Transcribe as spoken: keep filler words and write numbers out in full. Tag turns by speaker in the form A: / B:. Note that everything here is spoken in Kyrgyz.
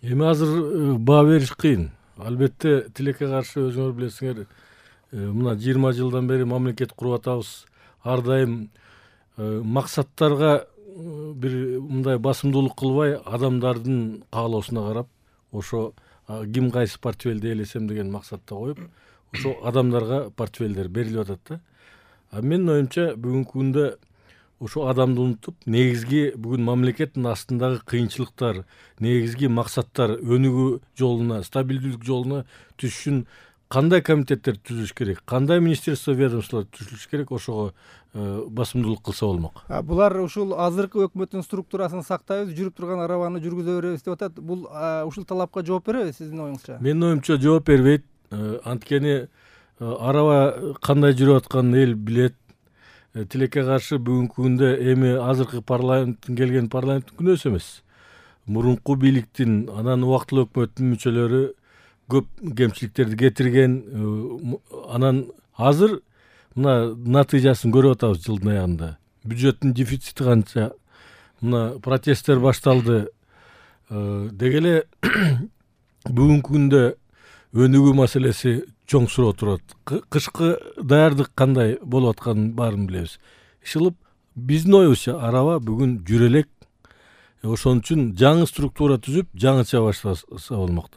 A: Эми азыр баа бериш кыйын. Албетте тилекке каршы өзүңөр билесиңер, мына жыйырма жылдан бери мамлекет куруп атабыз. Ар дайым максаттарга бир мындай басымдуулук кылбай, адамдардын каалоосуна карап, ошо ким кайсы портфелди ээлесем деген максатта коюп, ошо адамдарга портфелдер берилип атат да. А менин оюмча бүгүнкү күндө ошо адамды унутуп, негизги бүгүн мамлекеттин астындагы кыйынчылыктар, негизги максаттар өнүгүү жолуна, стабилдүүлүк жолуна түшүш үчүн кандай комитеттер түзүлүш керек, кандай министерство, ведомстволор түзүлүш керек, ошого басымдуулук кылса болмок.
B: Булар ушул азыркы өкмөттүн структурасын сактайбыз, жүрүп турган арабаны жүргүзө беребиз деп атат. Бул ушул талапка жооп береби сиздин оюңузча?
A: Менин оюмча жооп бербейт. Анткени араба кандай жүрүп атканын эл билет. Тилекке каршы бүгүнкү күндө эми азыркы парламенттин келген парламенттин күнөөсү эмес. Мурунку бийликтин, анан убактылуу өкмөттүн мүчөлөрү көп кемчиликтерди кетирген. Анан азыр мына натыйжасын көрүп атабыз жылдын аягында. Бюджеттин дефицити канча, мына протесттер башталды. Деги эле бүгүнкү күндө өнүгүү маселеси чоң суроо турат. Кышкы даярдык кандай болуп атканын баарын билебиз. Ишылып биздин оюбузча араба бүгүн жүрө элек. Ошон үчүн жаңы структура түзүп, жаңыча баштаса болмок.